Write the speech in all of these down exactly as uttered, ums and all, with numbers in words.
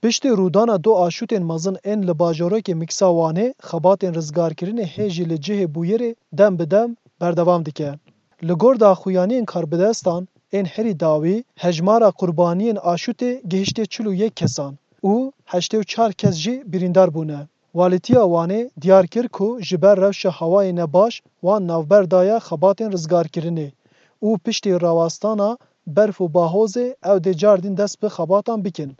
Piştî rûdana du aşûtên mezin ên li bajarokê Miksa Wanê, xebatên rizgarkirinê hê jî li cihê bûyerê dem bi dem berdewam dike. Li gor daxuyaniyên karbidestan ên herî dawî, hejmara qurbaniyên aşûtê gihiştê çil û yek kesan û heştê û çar kes jî birîndar bûne. Walîtiya Wanê diyar kir ku ji ber rewşa hewayê nebaş wan navber daye xebatên rizgarkirinê û piştî rawestana berf û bahozê ew dê cardîn dest bi xebatan bikin.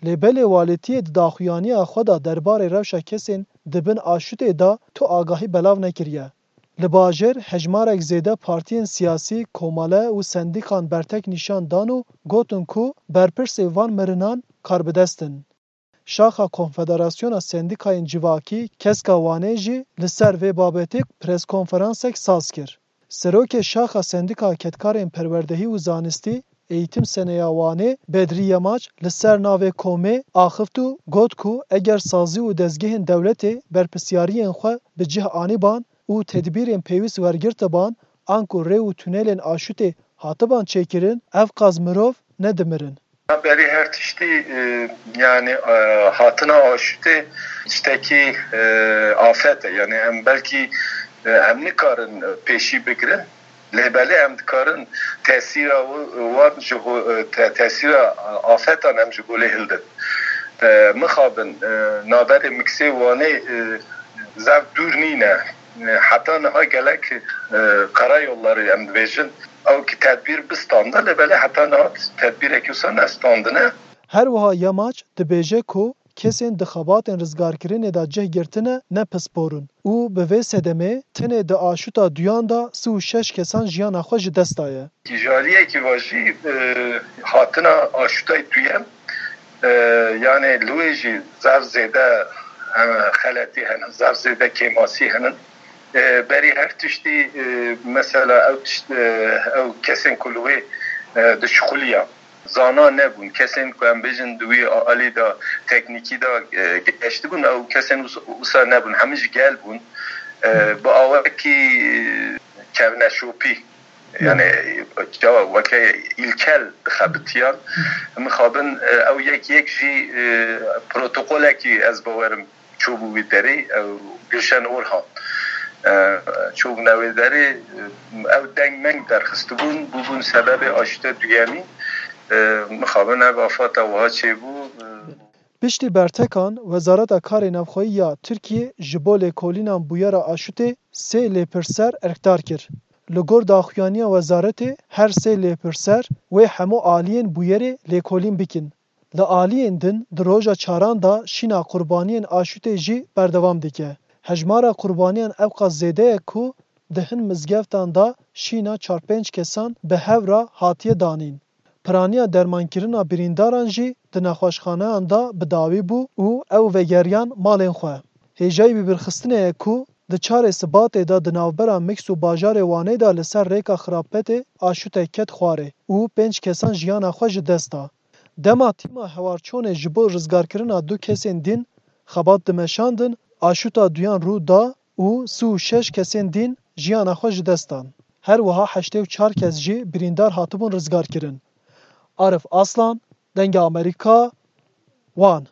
Lê belê walîtiyê di daxuyaniya xwe de derbarê rewşa kesên di bin aşûtê de tu agahî belav nekiriye. Li bajêr hejmarek zêde partiyên siyasî, komele û sendîkan bertek nîşan dan û gotin ku berpirsê van mirinan karbidest in. Şaxa Konfederasyona Sendîkayên Civakî, Keska Wanê jî li ser vê babetê preskonferansek saz kir. Serokê Şaxa Sendîka Kedkarên Perwerdehî û Zanistî, Eğitim Seneya Wanê, Bedrî Yemaç, li ser navê komê axift û got ku eger sazî û dezgehên dewletê berpirsiyariyên xwe bi cih anîban û tedbîrên pêwîst wergirtiban, anku rê û tunelên aşûtê hatiban çêkirin, ev qas mirov nedimirin. Berî her tiştî, e, yani, e, hatina aşûtê tiştekî, e, afet e. Yani em belkî, e, em nikarin pêşî bigirin. Lê belê em dikarin tesîra wi-, wan ji ho-, e, te-, tesîra afetan em ji holê hildin. E, mixabin, e, navberê Miksê Wanê, e, zaf dûr nîne. E, heta niha gelek, e, karayolları em dibêjin. Ew ki tedbîr bistanda, lê belê heta niha tedbîrekî wisa nestandine. Her wiha Yamaç dibêje ku kesên di xebatên rizgarkirinê de cih girtine ne pispor in û bi vê sedemê tenê di aşuta duyan de sî û şeş kesan jiyana xwe ji dest daye. Ji aliyekî ve jî, e, hatina aşutayê duyem, e, yani li wê jî zaf zêde, e, xeletî hene, zaf zêde kêmasî hene. E, berî her tiştî, e, mesela ew tişt, e, ew kesên ku li wê, e, dişixuliya, zana nebûn. Kesên ku em bêjin di wî alî de, teknîkî de, e, geştibûn, ew kesên wis-, wisa nebûn. Hemî ji gel bûn. E, bi awekî kevneşopî, yani, çawa weke îlkel dixebitiyan. Mixabin, e, ew yek yek jî, e, protokolekî ez bawerim çûbû wî derê, ew Gülşen Orhan, e, çûbûne wê derê, e, ew deng meng derxistibûn, bûbûn sebebê aşte duyemî. E, mixabin ev afata wiha çêbû. E, Piştî bertekan, Wezareta Karê Navxweyî ya Tirkiyê ji bo lêkolînan bûyera aşutê sê lêpirser erkdar kir. Li gor daxuyaniya wezaretê, her sê lêpirser wê hemû aliyên bûyerê lêkolîn bikin. Li aliyên din di roja çaran de şîna qurbaniyên aşutê jî berdewam dike. Hejmara qurbaniyan ewqas zêde ye ku di hin mizgeftan de şîna çar pênc kesan bi hev re hatiye danîn. Piraniya dermankirina birîndaran jî di nexweşxaneyan de bi dawî bû û ew vegeriyan malên xwe. Hêjayî bibîrxistinê ye ku di çarê Sibatê de di navbera Miks û bajarê Wanê de li ser rêka Xirapetê aşute ket xwarê û pênc kesan jiyana xwe ji dest da. Dema tîma hewarçonê ji bo rizgarkirina du kesên din xebat dimeşandin, aşuta duyan rû da û sî û şeş kesên din jiyana xwe ji dest dan. Her wiha heştê û çar kes jî birîndar hatibûn rizgarkirin. Arif Aslan, Dengê Amerîka, Wan.